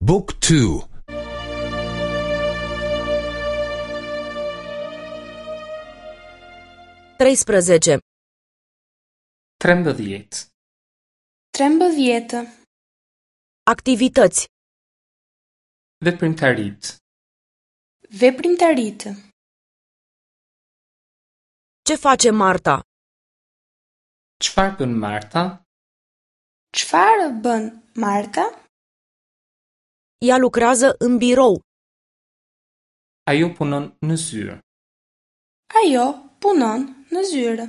บุ๊กทู 13. 13. 13. Activități. Veprimtaritë. Veprimtaritë. Ce face Marta? Çfarë bën Marta? Çfarë bën Marta? Ea lucrează în birou. Ajo punon në zyrë. Ajo punon në zyrë.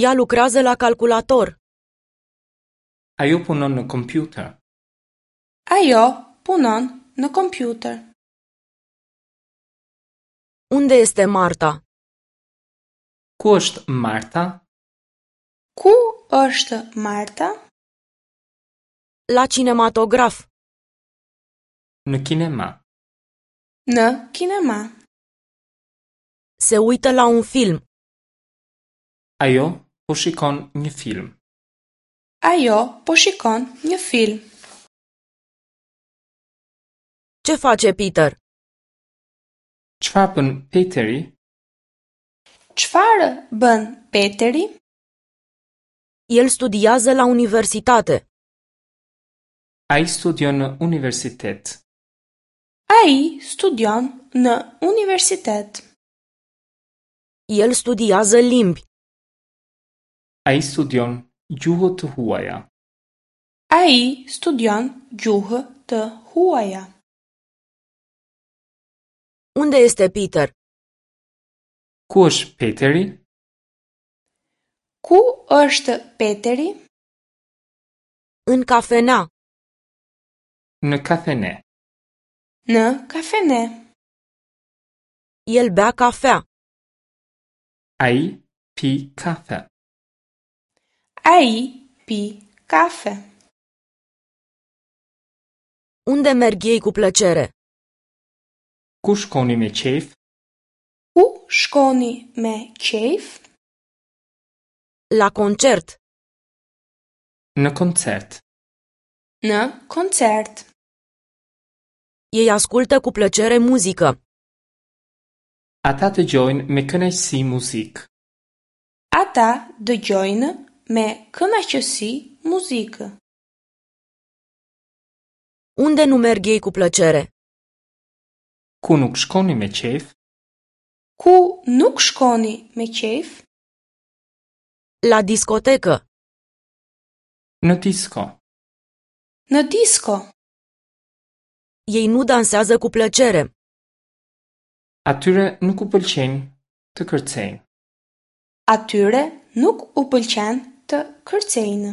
Ea lucrează la calculator. Ajo punon në kompjuter. Ajo punon në kompjuter. Unde este Marta? Ku është Marta? Ku është Marta? La cinematograf. Në kinema. Në kinema. Se uită la un film. Ajo po shikon një film. Ajo po shikon një film. Ce face Peter? Çfarë bën Peteri? Çfarë bën Peteri? El studiază la universitate. Ai studion në universitet. Ai studion në universitet. El studiază limbi. Ai studion gjuhë të huaja. Ai studion gjuhë të huaja. Unde este Peter? Ku është Peteri? Ku është Peteri? În cafenea. Në kafene. Në kafene. El bea cafea. Ai pi kafe. Ai pi kafe. Unde merg ei cu plăcere? Ku shkoni me qejf? Ku shkoni me qejf? La concert. Në koncert. Në koncert. Ei ascultă cu plăcere muzică. Ata dëgjojnë me kënaqësi muzikë. Ata dëgjojnë me kënaqësi muzikë. Unde nu merg ei cu plăcere? Ku nuk shkoni me qejf? Ku nuk shkoni me qejf? La discotecă. Në disko. Në disko. Ei nu dansează cu plăcere. Atyre nuk u pëlqen të kërcejnë. Atyre nuk u pëlqen të kërcejnë.